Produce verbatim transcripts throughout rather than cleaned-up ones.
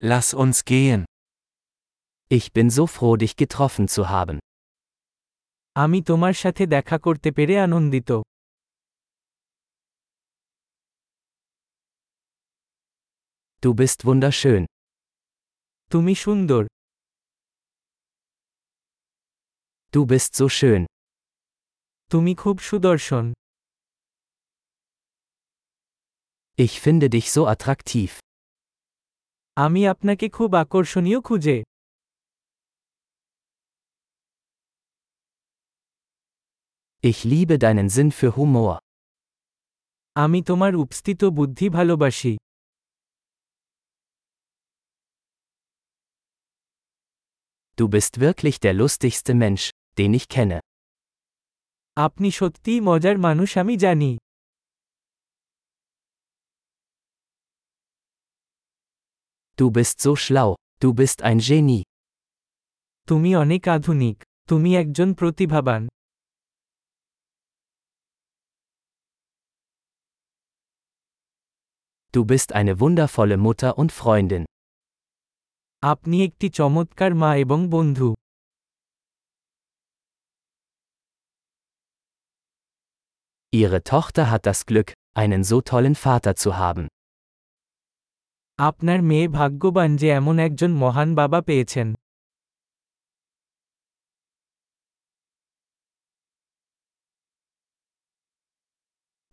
Lass uns gehen. Ich bin so froh, dich getroffen zu haben. আমি তোমার সাথে দেখা করতে পেরে আনন্দিত। Du bist wunderschön. তুমি সুন্দর। Du bist so schön. তুমি খুব সুদর্শন। Ich finde dich so attraktiv. আমি আপনাকে খুব আকর্ষণীয় খুঁজে। Ich liebe deinen Sinn für Humor. আমি তোমার উপস্থিত বুদ্ধি ভালোবাসি। Du bist wirklich der lustigste Mensch, den ich kenne. আপনি সত্যিই মজার মানুষ আমি জানি। Du bist so schlau, du bist ein Genie. তুমি অনেক আধুনিক, তুমি একজন প্রতিভাবান। Du bist eine wundervolle Mutter und Freundin. আপনি একটি চমৎকার মা এবং বন্ধু। Ihre Tochter hat das Glück, einen so tollen Vater zu haben. আপনার মেয়ে ভাগ্যবান যে এমন একজন মহান বাবা পেয়েছেন।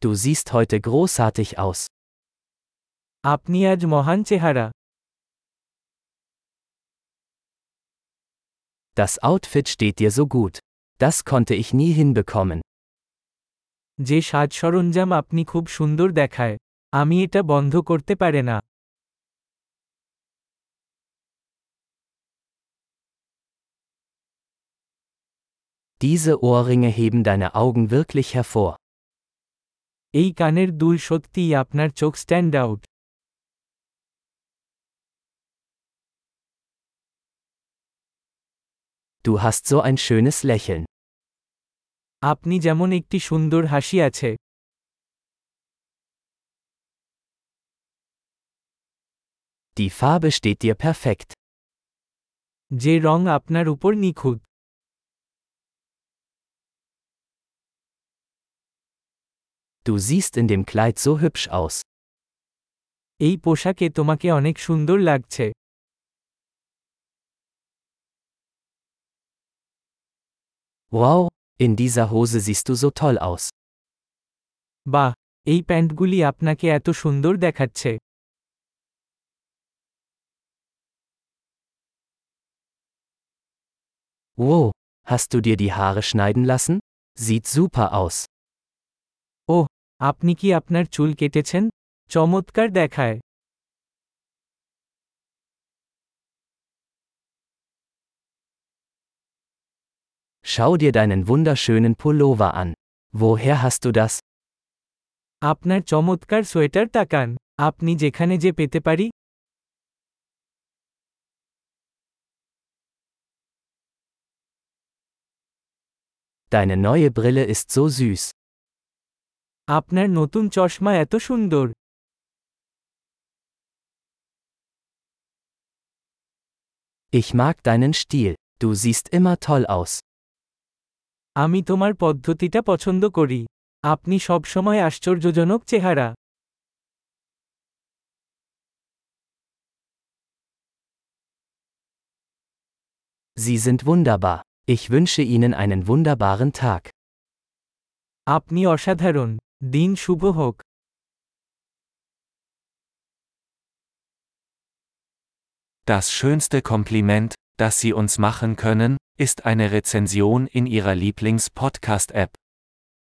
Du siehst heute großartig aus. আপনি আজ মহান চেহারা। Das Outfit steht dir so gut. Das konnte ich nie hinbekommen. যে সাজ সরঞ্জাম আপনি খুব সুন্দর দেখায়। আমি এটা বন্ধ করতে পারে না। Diese Ohrringe heben deine Augen wirklich hervor. এই কানের দুল সত্যিই আপনার চোখ stand out. Du hast so ein schönes Lächeln. আপনি যেমন একটি সুন্দর হাসি আছে। Die Farbe steht dir perfekt. যে রং আপনার উপর নিখুঁত। Du siehst in dem Kleid so hübsch aus. এই পোশাকে তোমাকে অনেক সুন্দর লাগছে। Wow, in dieser Hose siehst du so toll aus. বাহ, এই প্যান্টগুলি আপনাকে এত সুন্দর দেখাচ্ছে। Wow, hast du dir die Haare schneiden lassen? Sieht super aus. ওহ, আপনি কি আপনার চুল কেটেছেন? চমৎকার দেখায়। Schau dir deinen wunderschönen Pullover an. Woher hast du das? আপনার চমৎকার সোয়েটার তাকান। আপনি যেখানে যে পেতে পারি? Deine neue Brille ist so süß. আপনার নতুন চশমা এত সুন্দর। Ich mag deinen Stil, du siehst immer toll aus. আমি তোমার পদ্ধতিটা পছন্দ করি। আপনি সবসময় আশ্চর্যজনক চেহারা। Sie sind wunderbar. Ich wünsche Ihnen einen wunderbaren Tag. আপনি অসাধারণ। দিন শুভ হোক। Das schönste Kompliment, das Sie uns machen können, ist eine Rezension in Ihrer Lieblings-Podcast-App.